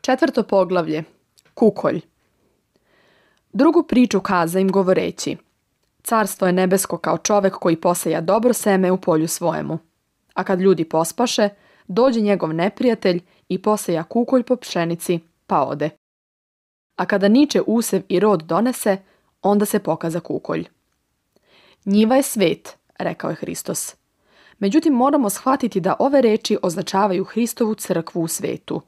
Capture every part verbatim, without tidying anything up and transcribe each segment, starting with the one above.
Četvrto poglavlje. Kukolj. Drugu priču kaza im govoreći: Carstvo je nebesko kao čovek koji poseja dobro seme u polju svojemu. A kad ljudi pospaše, dođe njegov neprijatelj i poseja kukolj po pšenici, pa ode. A kada niče usev i rod donese, onda se pokaza kukolj. Njiva je svet, rekao je Hristos. Međutim, moramo shvatiti da ove reči označavaju Hristovu crkvu u svetu.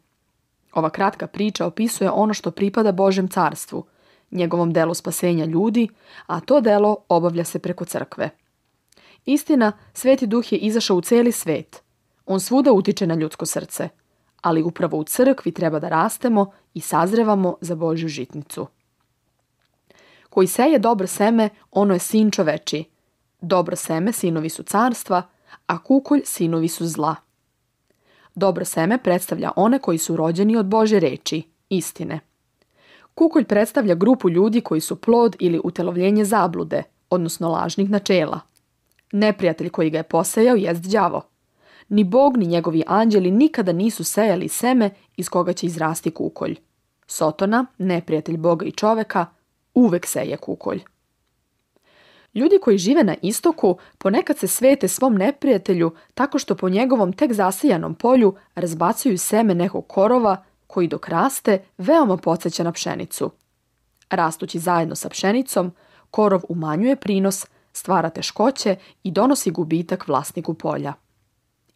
Ova kratka priča opisuje ono što pripada Božjem carstvu, njegovom delu spasenja ljudi, a to delo obavlja se preko crkve. Istina, Sveti Duh je izašao u cijeli svet. On svuda utiče na ljudsko srce, ali upravo u crkvi treba da rastemo i sazrevamo za Božju žitnicu. Koji seje dobro seme, ono je sin čovečiji. Dobro seme sinovi su carstva, a kukolj sinovi su zla. Dobro seme predstavlja one koji su rođeni od Božje reči, istine. Kukolj predstavlja grupu ljudi koji su plod ili utelovljenje zablude, odnosno lažnih načela. Neprijatelj koji ga je posejao jest đavo. Ni Bog ni njegovi anđeli nikada nisu sejali seme iz koga će izrasti kukolj. Sotona, neprijatelj Boga i čoveka, uvek seje kukolj. Ljudi koji žive na istoku ponekad se svete svom neprijatelju tako što po njegovom tek zasijanom polju razbacuju seme nekog korova koji dok raste veoma podsjeća na pšenicu. Rastući zajedno sa pšenicom, korov umanjuje prinos, stvara teškoće i donosi gubitak vlasniku polja.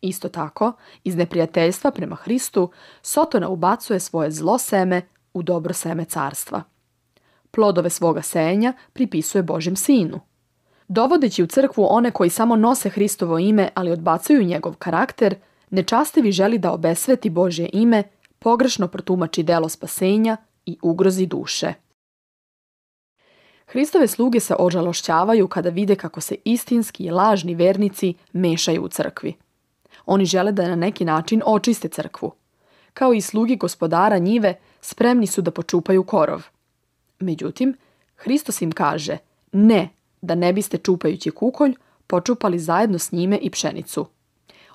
Isto tako, iz neprijateljstva prema Hristu, Sotona ubacuje svoje zlo seme u dobro seme carstva. Plodove svoga sejenja pripisuje Božjem sinu. Dovodeći u crkvu one koji samo nose Hristovo ime, ali odbacuju njegov karakter, nečastivi želi da obesveti Božje ime, pogrešno protumači delo spasenja i ugrozi duše. Hristove sluge se ožalošćavaju kada vide kako se istinski i lažni vernici mešaju u crkvi. Oni žele da na neki način očiste crkvu. Kao i slugi gospodara njive, spremni su da počupaju korov. Međutim, Hristos im kaže: ne, da ne biste čupajući kukolj počupali zajedno s njime i pšenicu.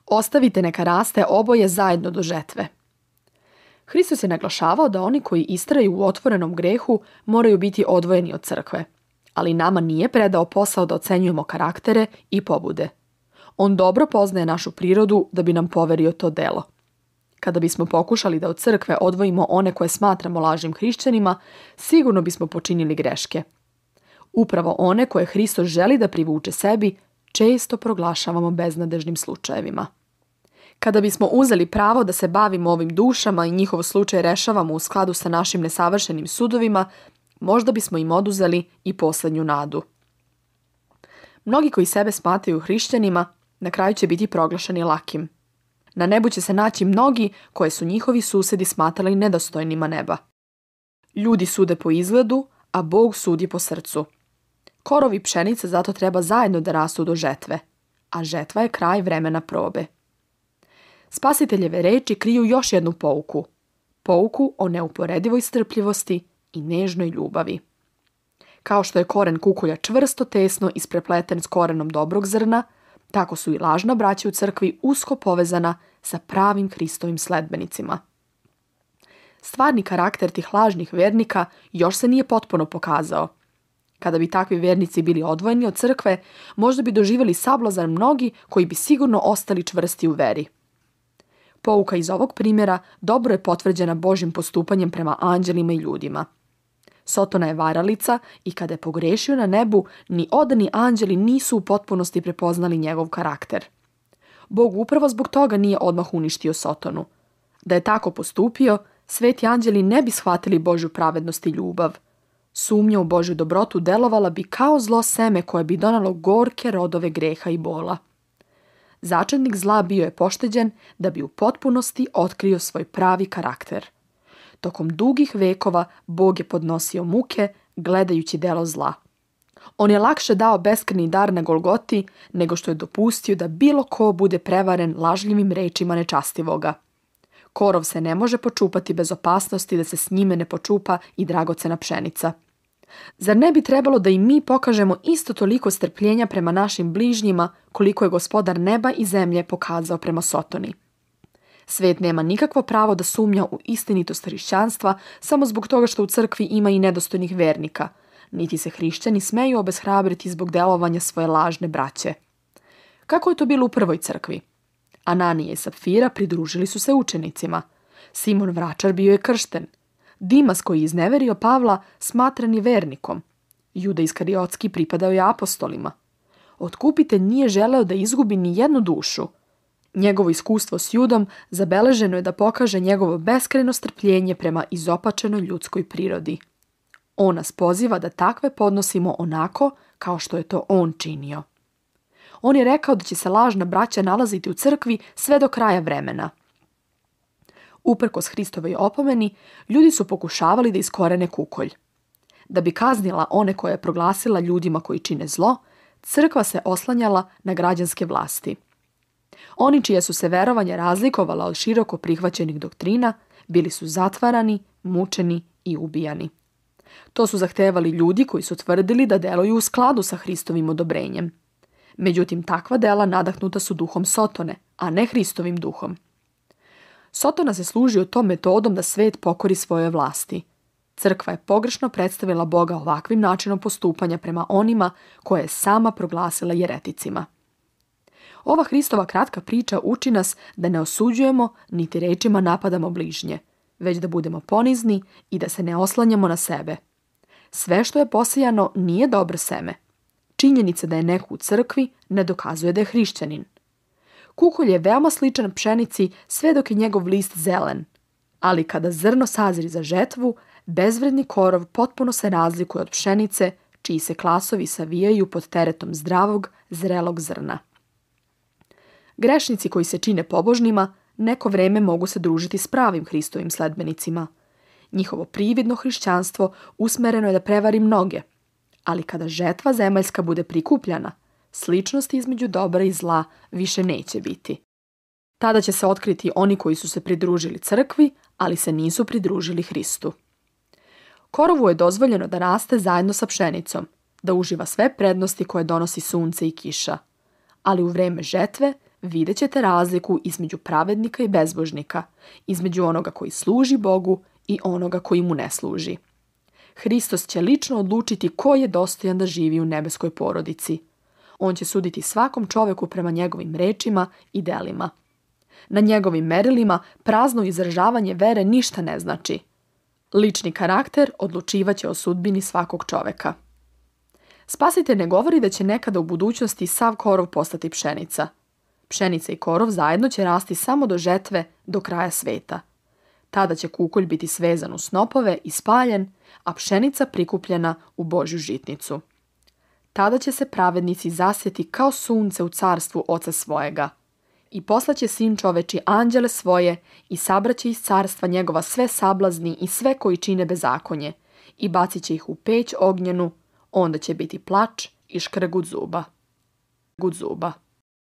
Ostavite neka raste oboje zajedno do žetve. Hristos je naglašavao da oni koji istraju u otvorenom grehu moraju biti odvojeni od crkve, ali nama nije predao posao da ocenjujemo karaktere i pobude. On dobro poznaje našu prirodu da bi nam poverio to delo. Kada bismo pokušali da od crkve odvojimo one koje smatramo lažnim hrišćanima, sigurno bismo počinili greške. Upravo one koje Hristos želi da privuče sebi, često proglašavamo beznadežnim slučajevima. Kada bismo uzeli pravo da se bavimo ovim dušama i njihov slučaj rešavamo u skladu sa našim nesavršenim sudovima, možda bismo im oduzeli i poslednju nadu. Mnogi koji sebe smatraju hrišćanima, na kraju će biti proglašeni lakim. Na nebu će se naći mnogi koje su njihovi susedi smatrali nedostojnima neba. Ljudi sude po izgledu, a Bog sudi po srcu. Korovi pšenice zato treba zajedno da rastu do žetve, a žetva je kraj vremena probe. Spasiteljeve reči kriju još jednu pouku. Pouku o neuporedivoj strpljivosti i nežnoj ljubavi. Kao što je koren kukolja čvrsto tesno isprepleten s korenom dobrog zrna, tako su i lažna braća u crkvi usko povezana sa pravim Hristovim sledbenicima. Stvarni karakter tih lažnih vernika još se nije potpuno pokazao. Kada bi takvi vernici bili odvojeni od crkve, možda bi doživjeli sablazan mnogi koji bi sigurno ostali čvrsti u veri. Pouka iz ovog primjera dobro je potvrđena Božjim postupanjem prema anđelima i ljudima. Sotona je varalica i kada je pogrešio na nebu, ni odani anđeli nisu u potpunosti prepoznali njegov karakter. Bog upravo zbog toga nije odmah uništio Sotonu. Da je tako postupio, sveti anđeli ne bi shvatili Božju pravednost i ljubav. Sumnja u Božju dobrotu delovala bi kao zlo seme koje bi donalo gorke rodove greha i bola. Začetnik zla bio je pošteđen da bi u potpunosti otkrio svoj pravi karakter. Tokom dugih vekova Bog je podnosio muke gledajući delo zla. On je lakše dao beskrajni dar na Golgoti nego što je dopustio da bilo ko bude prevaren lažljivim rečima nečastivoga. Korov se ne može počupati bez opasnosti da se s njime ne počupa i dragocena pšenica. Zar ne bi trebalo da i mi pokažemo isto toliko strpljenja prema našim bližnjima koliko je Gospodar neba i zemlje pokazao prema Sotoni? Svet nema nikakvo pravo da sumnja u istinitost hrišćanstva samo zbog toga što u crkvi ima i nedostojnih vernika, niti se hrišćani smeju obeshrabriti zbog delovanja svoje lažne braće. Kako je to bilo u prvoj crkvi? Ananija i Sapfira pridružili su se učenicima. Simon Vračar bio je kršten. Dimas koji je izneverio Pavla smatran je vernikom. Juda Iskariotski pripadao je apostolima. Otkupitelj nije želeo da izgubi ni jednu dušu. Njegovo iskustvo s Judom zabeleženo je da pokaže njegovo beskrajno strpljenje prema izopačenoj ljudskoj prirodi. On nas poziva da takve podnosimo onako kao što je to on činio. On je rekao da će se lažna braća nalaziti u crkvi sve do kraja vremena. Uprkos Hristovoj opomeni, ljudi su pokušavali da iskorene kukolj. Da bi kaznila one koje je proglasila ljudima koji čine zlo, crkva se oslanjala na građanske vlasti. Oni čije su se verovanja razlikovala od široko prihvaćenih doktrina, bili su zatvarani, mučeni i ubijani. To su zahtevali ljudi koji su tvrdili da deluju u skladu sa Hristovim odobrenjem. Međutim, takva dela nadahnuta su duhom Sotone, a ne Hristovim duhom. Sotona se služio tom metodom da svet pokori svoje vlasti. Crkva je pogrešno predstavila Boga ovakvim načinom postupanja prema onima koje je sama proglasila jereticima. Ova Hristova kratka priča uči nas da ne osuđujemo niti rečima napadamo bližnje, već da budemo ponizni i da se ne oslanjamo na sebe. Sve što je posejano nije dobro seme. Činjenica da je neko u crkvi ne dokazuje da je hrišćanin. Kukolj je veoma sličan pšenici sve dok je njegov list zelen, ali kada zrno sazri za žetvu, bezvredni korov potpuno se razlikuje od pšenice, čiji se klasovi savijaju pod teretom zdravog, zrelog zrna. Grešnici koji se čine pobožnima neko vreme mogu se družiti s pravim Hristovim sledbenicima. Njihovo prividno hrišćanstvo usmereno je da prevari mnoge, ali kada žetva zemaljska bude prikupljana, sličnosti između dobra i zla više neće biti. Tada će se otkriti oni koji su se pridružili crkvi, ali se nisu pridružili Hristu. Korovu je dozvoljeno da raste zajedno sa pšenicom, da uživa sve prednosti koje donosi sunce i kiša. Ali u vreme žetve vidjet ćete razliku između pravednika i bezbožnika, između onoga koji služi Bogu i onoga koji mu ne služi. Hristos će lično odlučiti ko je dostojan da živi u nebeskoj porodici. On će suditi svakom čoveku prema njegovim rečima i delima. Na njegovim merilima prazno izražavanje vere ništa ne znači. Lični karakter odlučivaće o sudbini svakog čoveka. Spasitelj ne govori da će nekada u budućnosti sav korov postati pšenica. Pšenica i korov zajedno će rasti samo do žetve, do kraja sveta. Tada će kukolj biti svezan u snopove i spaljen, a pšenica prikupljena u Božju žitnicu. Tada će se pravednici zasjeti kao sunce u carstvu Oca svojega. I poslaće Sin čoveči anđele svoje i sabraće iz carstva njegova sve sablazni i sve koji čine bezakonje i bacit će ih u peć ognjenu, onda će biti plač i škrgut zuba. Gut zuba.